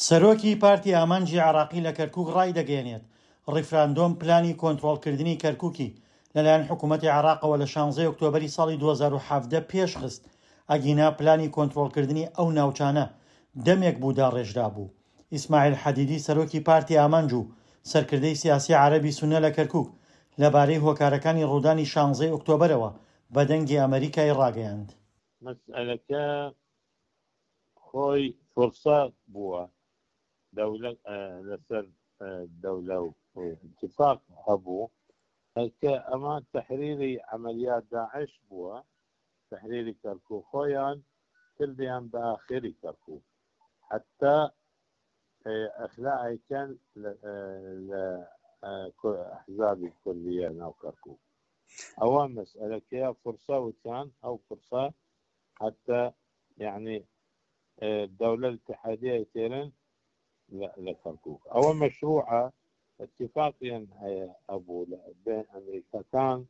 سەرۆکی پارتی ئامانجی عێراقی لە کەرکوک ڕایدەگەیەنێت، ڕیفراندۆم پلانی کۆنترۆڵکردنی کەرکوکی لەلایەن حکومەتی عێراقەوە لە شانزەی ئۆکتۆبەری ساڵی 2017 پێشخست، ئەگینا پلانی کۆنترۆڵکردنی ئەو ناوچانە دەمێک بوو داڕێژرابوو. ئیسماعیل حەدیدی سەرۆکی پارتی ئامانج و سەرکردەی سیاسی عەرەبی سوننە لە کەرکوک لەبارەی هۆکارەکانی ڕوودانی شانزەی ئۆکتۆبەرەوە بە دەنگی ئەمەریکای ڕاگەیاند. مەسئەلەکە خۆی فرسە بووە دەولە لەسەر دەولە و اتفاق هەبوو کە ئەمە تحریری عملیات داعش بووە تحریری کەرکوک خۆیان کردیان بە ئاخری کەرکوک حتا ئەخلاعیکەن لە ئەحزابی کوردیە ناو کەرکوک ئەوە مەسئلەکەیە فرسە وتیان ئەو فرسە حتى يعني الدولة الاتحادية يتيرن لكركوك أو مشروعة اتفاقيا أبو بين أمريكا كان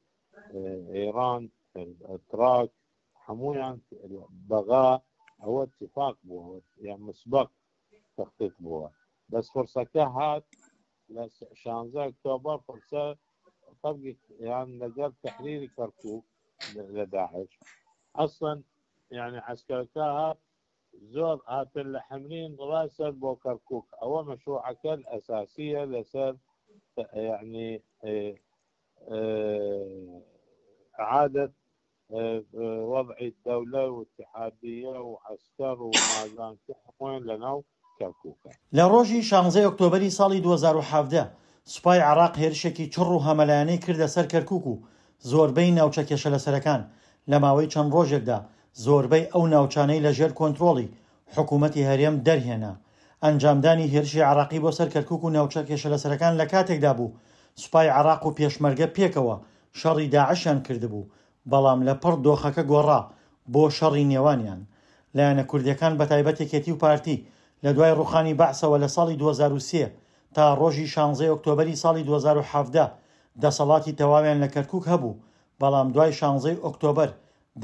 إيران التراك حمويان بغاء هو اتفاق بو يعني مسبق تخطيط بو بس فرصة كهات لشانزا أكتوبر فرصة طبق يعني لقى تحرير كركوك لداعش أصلا يعني عسكركاها زۆر هاتن لە حەمرین ڕاسەر بۆ کەرکوک ئەوە مەشروعەکە ئەساسیە لەسەر یعنی اعادة وضع الدولة واتحادية وعسكر ومازان وين لەناو کەرکوکە. لە ڕۆژی شانزەی ئۆکتۆبەری ساڵی 2017 سوپای عێراق هێرشێکی چڕ و هەمەلایەنەی کردە سەر کەرکوک و زۆربەی ناوچە کێشەلەسەرەکان لە ماوەی چەند ڕۆژێکدا زۆربەی ئەو ناوچانەی لە ژێر کۆنترۆڵی حکوومەتی هەرێم دەرهێنا. ئەنجامدانی هێرشی عێراقی بۆ سەر کەرکوک و ناوچە کێشەلەسەرەکان لە کاتێکدا بوو سوپای عێراق و پێشمەرگە پێکەوە شەڕی داعشیان کردبوو، بەڵام لە پڕ دۆخەکە گۆڕا بۆ شەڕی نێوانیان. لایەنە کوردییەکان بەتایبەت یەکێتی و پارتی لە دوای ڕووخانی بەعسەوە لە ساڵی 2003 تا ڕۆژی شانزەی ئۆکتۆبەری ساڵی 2017 دەسەڵاتی تەواویان لە کەرکوک هەبوو، بەڵام دوای شانزەی ئۆکتۆبەر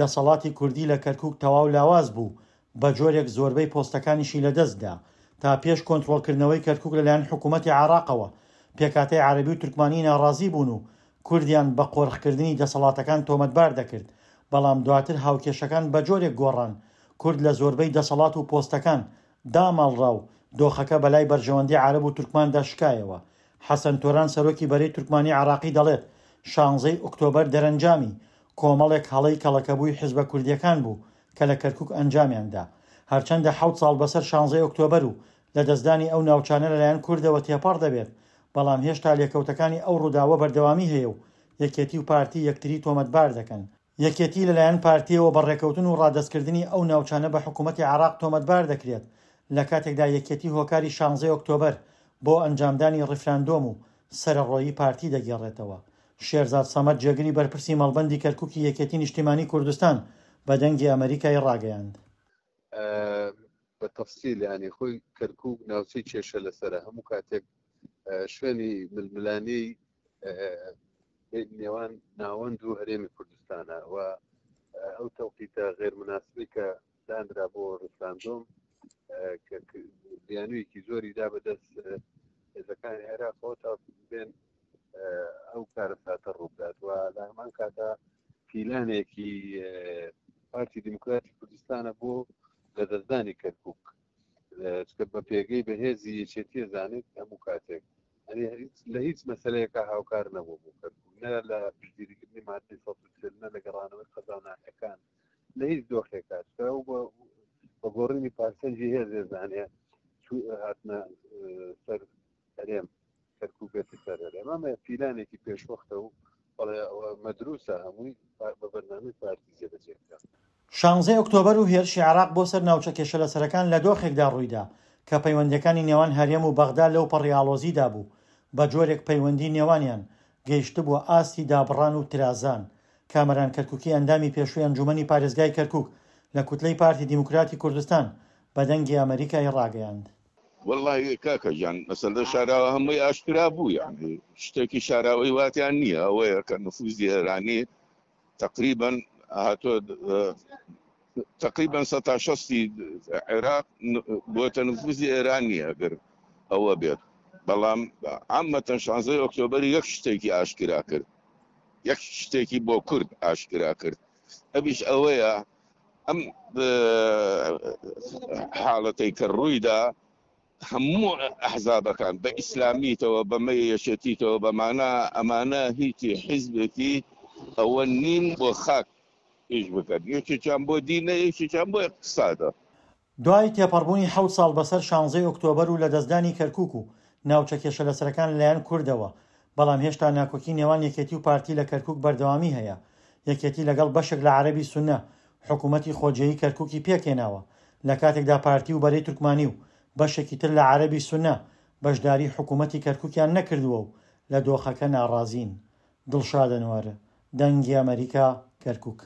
دەسەڵاتی کوردی لە کەرکوک تەواو لاواز بوو، بە جۆرێک زۆربەی پۆستەکانیشی لەدەست دا. تا پێش کۆنترۆڵکردنەوەی کەرکوک لەلایەن حکوومەتی عێراقەوە، پێکهاتەی عەرەبی و تورکمانی ناڕازی بوون و کوردیان بە قۆرخکردنی دەسەڵاتەکان تۆمەتبار دەکرد، بەڵام دواتر هاوکێشەکان بە جۆرێک گۆڕان، کورد لە زۆربەی دەسەڵات و پۆستەکان داماڵرا و دۆخەکە بەلای بەرژەوەندی عەرەب و تورکماندا شکایەوە. حەسەن تۆران سەرۆکی بەرەی تورکمانی عێراقی دەڵێت، شانزەی ئۆکتۆبەر دەرەنجامی کۆمەڵێک هەڵەی کەڵەکەبووی حزبە کوردییەکان بوو کە لە کەرکوک ئەنجامیان دا. هەرچەندە حەوت ساڵ بەسەر شانزەی ئۆکتۆبەر و لەدەستدانی ئەو ناوچانە لەلایەن کوردەوە تێپەڕ دەبێت، بەڵام هێشتا لێکەوتەکانی ئەو ڕووداوە بەردەوامی هەیە و یەکێتی و پارتی یەکتری تۆمەتبار دەکەن. یەکێتی لەلایەن پارتییەوە بە ڕێکەوتن و ڕادەستکردنی ئەو ناوچانە بە حکوومەتی عێراق تۆمەتبار دەکرێت، لە کاتێکدا یەکێتی هۆکاری شانزەی ئۆکتۆبەر بۆ ئەنجامدانی ڕیفراندۆم و سەرەڕۆیی پارتی دەگێڕێتەوە. شێرزاد سەمەد جێگری بەرپرسی مەڵبەندی کەرکوکی یەکێتی نیشتیمانی کوردستان بە دەنگی ئەمەریکای ڕاگەیاند. بە تەفسیل یانی خۆی کەرکوک ناوچەی کێشە لەسەرە هەموو کاتێک شوێنی ململانێی نێوان ناوەند و هەرێمی کوردستانە و ئەو تەوقیتە غێر مناسبی کە دانرا بۆ ڕیفراندۆم کە بیانوویەکی زۆری دا بەدەست هێزەکانی عێراقەوە تا بێن ئەو کارەساتە ڕووبدات و لە هەمان کاتا پیلانێکی پارتی دیموکراتی کوردستانە بۆ لەدەستدانی کەرکک چکە بە پێگەی بەهێزی یەکێتیە زانێت هەموو کاتێک لە هیچ مەسلەیەکە هاوکار نەبوو بۆ کەرکک نە لە پشتگیریکردنی مادەی 140 نە لە گەڕانەوەی قەزا و ناحیەکان لە هیچ دۆخێکا چکە ئەو بە گۆڕینی پارسەنجی هێزێ زانێ هاتنە سەر هەرێم کەرکوک بێتە سەر هەرێم ئەمە پیلانێکی پێشوەختە و بەڵێ ئەوە مەدروسە هەمووی بە بەرنامەی پارتی جێبەجێ کرا. شانزەی ئۆکتۆبەر و هێرشی عێراق بۆ سەر ناوچە کێشەلەسەرەکان لە دۆخێکدا ڕوویدا کە پەیوەندییەکانی نێوان هەرێم و بەغدا لەوپەڕی ئاڵۆزیدا بوو، بە جۆرێک پەیوەندی نێوانیان گەیشتبووە ئاستی دابڕان و ترازان. کامەران کەرکوکی ئەندامی پێشووی ئەنجوومەنی پارێزگای کەرکوک لە کوتلەی پارتی دیموکراتی کوردستان بە دەنگی ئەمەریکای ڕاگەیاند. وەڵڵاهی کاکە گیان مەسەلە شاراوە هەمووی ئاشکرا بوو یانی شتێکی شاراوەی واتیان نییە ئەوەیە کە نفوزی ئێرانی تقریبا هاتۆ. تقریبا سەتا شەستی عێراق بۆتە نفوزی ئێران نییە ئەگەر ئەوە بێت بەڵام عامەتەن شانزەی ئۆکتۆبەر یەک شتێکی ئاشکرا کرد یەک شتێکی بۆ کورد ئاشکرا کرد ئەویش ئەوەیە ئەم حاڵەتەی کە ڕوویدا هەموو ئەحزابەکان بە ئیسلامیتەوە بە مەی یەکێتیتەوە بەمانە ئەمانە هیچی حیزبێکی ئەوە نین بۆ خاک ئیش بکەن یەکێکیان بۆ دینە یەکێکیان بۆ اقتصادە. دوای تێپەڕبوونی حەوت ساڵ بەسەر شانزەی ئۆکتۆبەر و لەدەستدانی کەرکوک و ناوچە کێشەلەسەرەکان لەلایەن کوردەوە، بەڵام هێشتا ناکۆکی نێوان یەکێتی و پارتی لە کەرکوک بەردەوامی هەیە، یەکێتی لەگەڵ بەشێک لە عەرەبی سوننە حکومەتی خۆجێیی کەرکوکی پێکهێناوە، لەکاتێکدا پارتی و بەرەی تورکمانی و بەشێکی تر لە عەرەبی سوننە بەشداری حکومەتی کەرکوکیان نەکردووە و لە دۆخەکە ناڕازین. دڵشاد ئەنوەر، دەنگی ئەمەریکا، کەرکوک.